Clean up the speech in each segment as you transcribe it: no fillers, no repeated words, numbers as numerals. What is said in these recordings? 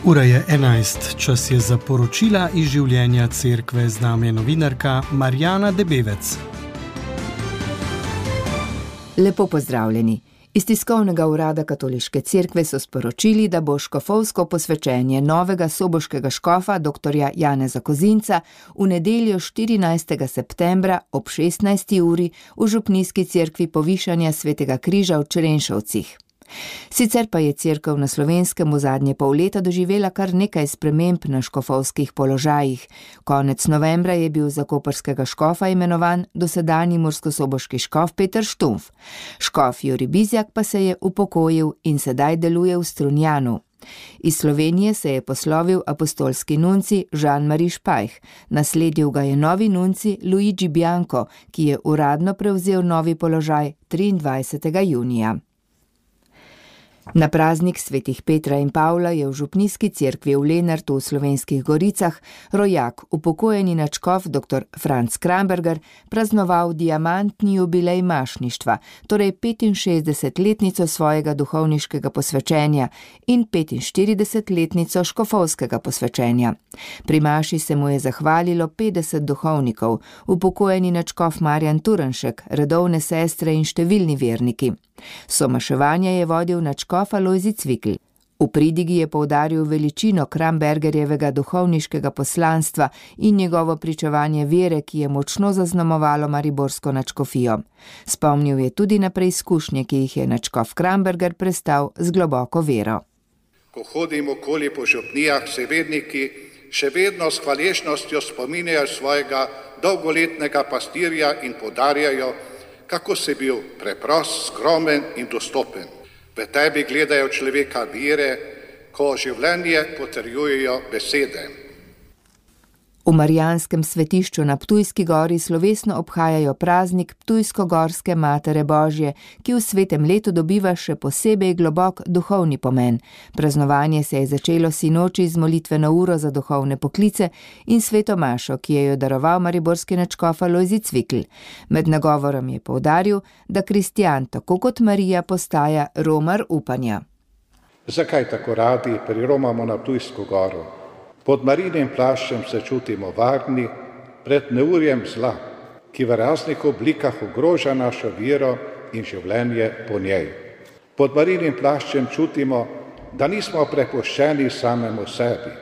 Ura je 11, čas je za poročila iz življenja cerkve, z nami je novinarka Marjana Debevec. Lepo pozdravljeni. Iz tiskovnega urada Katoliške cerkve so sporočili, da bo škofovsko posvečenje novega soboškega škofa dr. Janeza Kozinca v nedeljo 14. septembra ob 16. uri v župnijski cerkvi Povišanja Svetega križa v Črenšovcih. Sicer pa je cerkev na Slovenskem v zadnje pol leta doživela kar nekaj sprememb na škofovskih položajih. Konec novembra je bil za koprskega škofa imenovan dosedanji murskosoboški škof Peter Štumf. Škof Jurij Bizjak pa se je upokojil in sedaj deluje v Strunjanu. Iz Slovenije se je poslovil apostolski nunci Jean-Marie Špajh. Nasledil ga je novi nunci Luigi Bianco, ki je uradno prevzel novi položaj 23. junija. Na praznik svetih Petra in Pavla je v župnijski cerkvi v Lenartu v Slovenskih Goricah rojak, upokojeni nadškof dr. Franc Kramberger, praznoval diamantni jubilej mašništva, torej 65-letnico svojega duhovniškega posvečenja in 45-letnico škofovskega posvečenja. Pri maši se mu je zahvalilo 50 duhovnikov, upokojeni nadškof Marjan Turnšek, redovne sestre in številni verniki. Somaševanje je vodil nadškof Alojzij Cvikl. V pridigi je poudaril veličino Krambergerjevega duhovniškega poslanstva in njegovo pričevanje vere, ki je močno zaznamovalo mariborsko nadškofijo. Spomnil je tudi na preizkušnje, ki jih je nadškof Kramberger prestal z globoko vero. Ko hodim okoli po župnijah, se verniki še vedno s hvaležnostjo spominjajo svojega dolgoletnega pastirja in poudarjajo, kako si bil preprost, skromen in dostopen. V tebi gledajo človeka vere, ko življenje potrjujejo besede. V Marijanskem svetišču na Ptujski gori slovesno obhajajo praznik Ptujsko-gorske Matere Božje, ki v svetem letu dobiva še posebej globok duhovni pomen. Praznovanje se je začelo sinoči z molitveno uro za duhovne poklice in sveto mašo, ki je jo daroval mariborski nadškof Alojzij Cvikl. Med nagovorom je poudaril, da kristjan, tako kot Marija, postaja romar upanja. Zakaj tako radi priromamo na Ptujsko goro? Pod Marijinim plaščem se čutimo varni pred neurjem zla, ki v raznih oblikah ogroža našo vero in življenje po njej. Pod Marijinim plaščem čutimo, da nismo prepuščeni samemu sebi,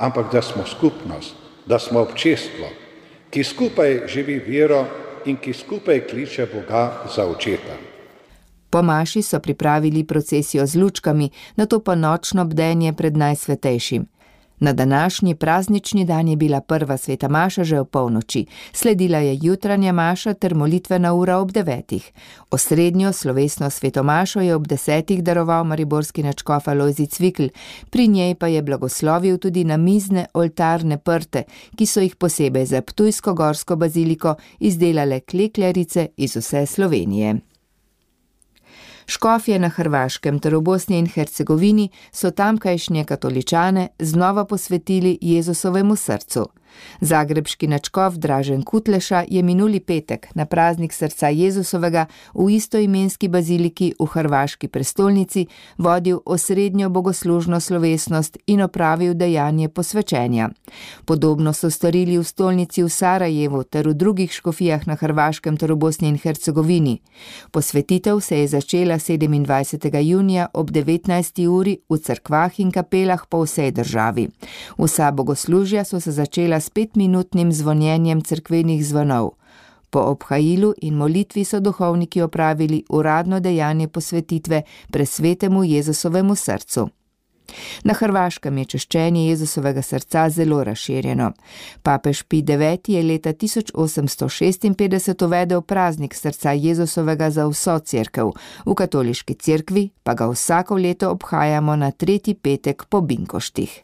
ampak da smo skupnost, da smo občestvo, ki skupaj živi vero in ki skupaj kliče Boga za očeta. Po maši so pripravili procesijo z lučkami, nato pa nočno bdenje pred Najsvetejšim. Na današnji praznični dan je bila prva sveta maša že ob polnoči, sledila je jutranja maša ter molitvena ura ob 9. Osrednjo slovesno sveto mašo je ob 10. daroval mariborski nadškof Alojzij Cvikl, pri njej pa je blagoslovil tudi namizne oltarne prte, ki so jih posebej za Ptujsko-gorsko baziliko izdelale klekljarice iz vse Slovenije. Škofje na Hrvaškem ter v Bosni in Hercegovini so tamkajšnje katoličane znova posvetili Jezusovemu srcu. Zagrebški nadškof Dražen Kutleša je minuli petek na praznik srca Jezusovega v istoimenski baziliki v hrvaški prestolnici vodil osrednjo bogoslužno slovesnost in opravil dejanje posvečenja. Podobno so storili v stolnici v Sarajevu ter v drugih škofijah na Hrvaškem ter v Bosni in Hercegovini. Posvetitev se je začela 27. junija ob 19. uri v cerkvah in kapelah po vsej državi. Vsa bogoslužja so se začela s 5-minutnim zvonjenjem cerkvenih zvonov. Po obhajilu in molitvi so duhovniki opravili uradno dejanje posvetitve presvetemu Jezusovemu srcu. Na Hrvaškem je češčenje Jezusovega srca zelo razširjeno. Papež Pij IX je leta 1856 uvedel praznik srca Jezusovega za vso cerkev, v katoliški cerkvi pa ga vsako leto obhajamo na 3. petek po binkoštih.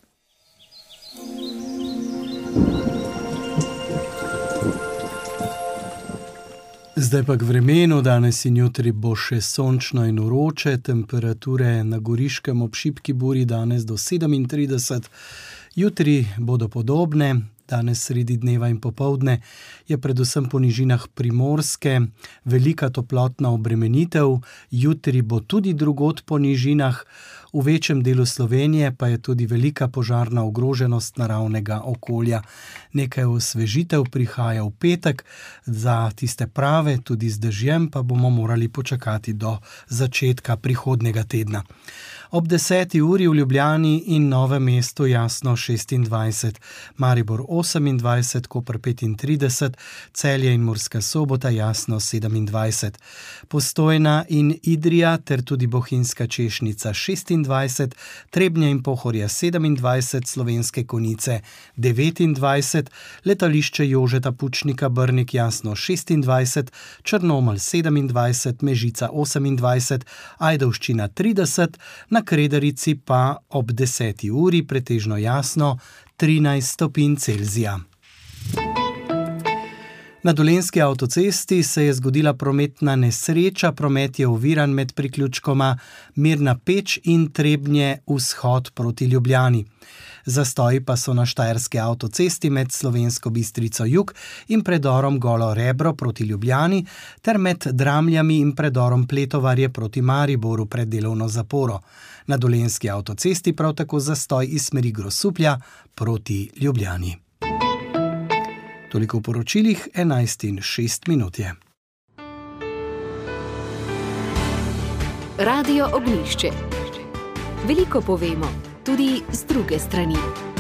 Zdaj pa k vremenu, danes in jutri bo še sončno in vroče, temperature na Goriškem ob šibki buri danes do 37, jutri bodo podobne, Danes sredi dneva in popoldne je predvsem po nižinah Primorske velika toplotna obremenitev, jutri bo tudi drugod po nižinah, v večjem delu Slovenije pa je tudi velika požarna ogroženost naravnega okolja. Nekaj osvežitev prihaja v petek, za tiste prave, tudi z dežjem, pa bomo morali počakati do začetka prihodnjega tedna. Ob 10. uri v Ljubljani in Novem mestu jasno 26, Maribor 28, Koper 35, Celje in Murska Sobota jasno 27, Postojna in Idrija ter tudi Bohinjska Češnica 26, Trebnje in Pohorje 27, Slovenske Konjice 29, Letališče Jožeta Pučnika Brnik jasno 26, Črnomelj 27, Mežica 28, Ajdovščina 30, na Kredarici pa ob 10. uri pretežno jasno 13 stopinj Celzija. Na Dolenjski avtocesti se je zgodila prometna nesreča, promet je oviran med priključkoma Mirna Peč in Trebnje vzhod proti Ljubljani. Zastoji pa so na Štajerski avtocesti med Slovensko Bistrico jug in predorom Golo Rebro proti Ljubljani ter med Dramljami in predorom Pletovarje proti Mariboru pred delovno zaporo. Na Dolenjski avtocesti prav tako zastoj iz smeri Grosuplja proti Ljubljani. Toliko v poročilih, 11:06 je. Radio Ognjišče. Veliko povemo, tudi z druge strani.